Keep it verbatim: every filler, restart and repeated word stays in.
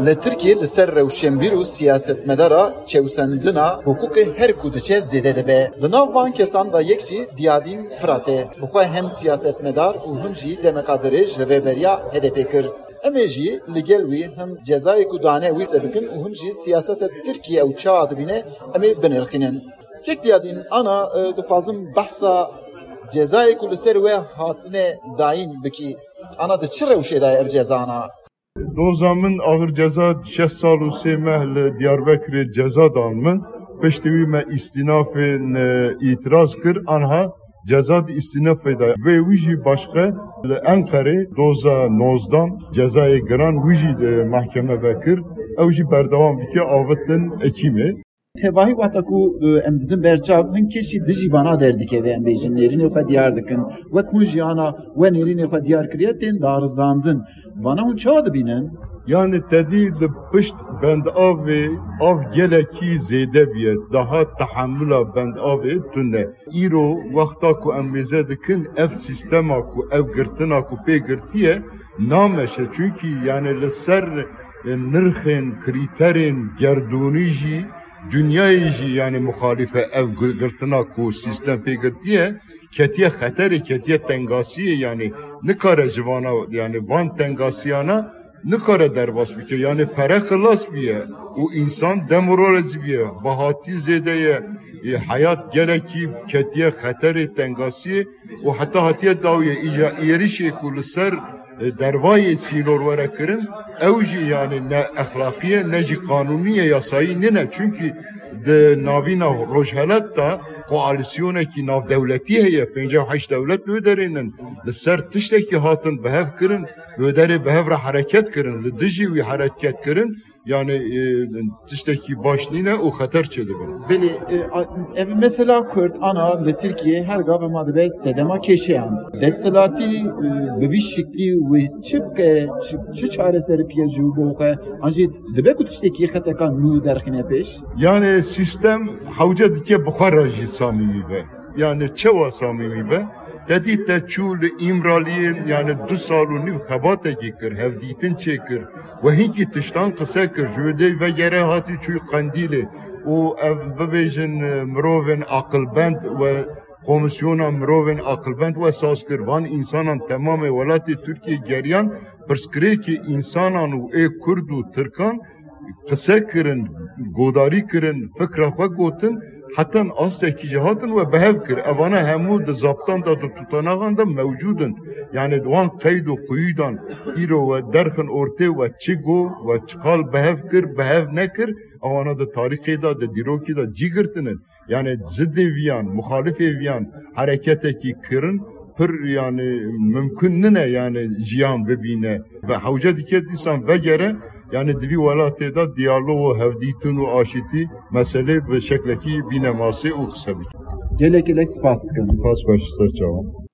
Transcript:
Li Tirkiyê li ser rewşenbîr û siyasetmedara çewsendina hiqûqê her ku diçe zêde dibe. Di nav van kesan de yek jî Diyadîn Firat e. Bi xwe hem siyasetmedar û him jî demeka dirêj rêveberiya H D P kir. Em ê jî li gel wî him cezayê ku dane wî qise bikin û him jî siyaseta Tirkiyê ew çawa dibîne, em ê binirxînin. Kek Diyadîn, ana, e, dixwazim behsa cezayê ku li ser we hatine dayîn bikî. Ana, di çi rewşê de ye ev cezana? Doza min axir ceza şeş sal û sê meh li Diyarbekirê ceza dan min. Piştî wî me îstînafên, e, îtiraz kir. Anha ceza di îstînafê de. Vê wî jî başqe li Enqerê doza nozdan cezayê giran wî jî, e, mehkeme vekir. Ew jî berdewam dike avitin ekîmê. Tevahî wexta ku, e, em didin ber çav, hin kesî dijî vana derdikeve, em bêjin, nêrînê xwe diyar dikin. Wek hûn jiyana we nêrînê xwe diyar kiriye, tên darizandin. Vana hûn çawa dibînin? Yani tedî li pişt bendavê av gelekî zêde bûye. Daha tehemula bendavê tune. Îro wexta ku em mêze dikin, ev sîstema ku, ev girtina ku pê girtiye, nameşe. Çunkî yani li ser, e, nirxên, krîterên gerdûnî jî, dinyayê jî yani muxalîf e ev gi-, girtina ku sîstem pê girtiye, ketiye xeterê, ketiye tengasiyê, yani nikare ji vana, yani van tengasiyana nikare derbas bike. Yani pere xilas bûye û însan demoralize bûye. Bihatî zêde ye, e, heyat gelekî ketiye xeterê, tengasiyê û heta hatiye dawiye. Îja êrişê ku li ser, e, dervayê sînor were kirin, ew jî yani ne exlaqî ye, ne jî qanûnî ye, yasayî nîne. Çunkî di navîna rojhelat de koalîsyonekî navdewletî heye, pêncî û heşt dewlet li wê derê nin. Li ser tiştekî hatin bi hev kirin, li wê derê bi hev re hereket kirin, li dijî wî hereket kirin, yani, e, tiştekî baş nîne û xeter çêdibin. Belê, e, a, ev mesela Kurd ana li Tirkiyê her gav ma dibe sedema kêşeyan. Desthilatî, e, bi vî şiklî wê çi bike, çi, çi çareserî bike ji bo xwe, an jî dibe ku tiştekî xeteka nû derxîne pêş? Yani sîstem hewce dike bi xwe re jî samîmî be. Yani çewa samîmî be? Te dît te çû li Îmraliyê, yani du sal û nîv xebatekî kir, hevdîtin çêkir. We hinkî tiştan qise kir, ji wê dey vegere hatî çûyî Qendîlê û ev bibêjin, e, mirovên aqilbend we komîsyona mirovên aqilbend we saz kir. Van însanan temamê welatê Tirkiyê geriyan, pirsgirêkê însanan û ê Kurd û Tirkan qise kirin, godarî kirin, fikra xwe gotin, hetan astekî jî hatin we bi hev kir. Evana hemû di zaptan de, di tutanaxan de mewcûd in. Yani di wan qeyd û quyûdan îro we derxin ortê we çi got, we çiqal bi hev kir, bi hev nekir, ewana di tarîxê de, di dîrokî de cî girtine. Yani zidê viyan, muxalifê viyan hereketekî kirin, pir yani mimkun nine yani jiyan bibîne. Ve hewce dike dîsan vegere, yani di vî welatê de diyalog û hevdîtin û aşîtî meselê bi şeklekî bîne masê û qise bike. Gelek gelek spas dikim. Spas baş, ser çavan.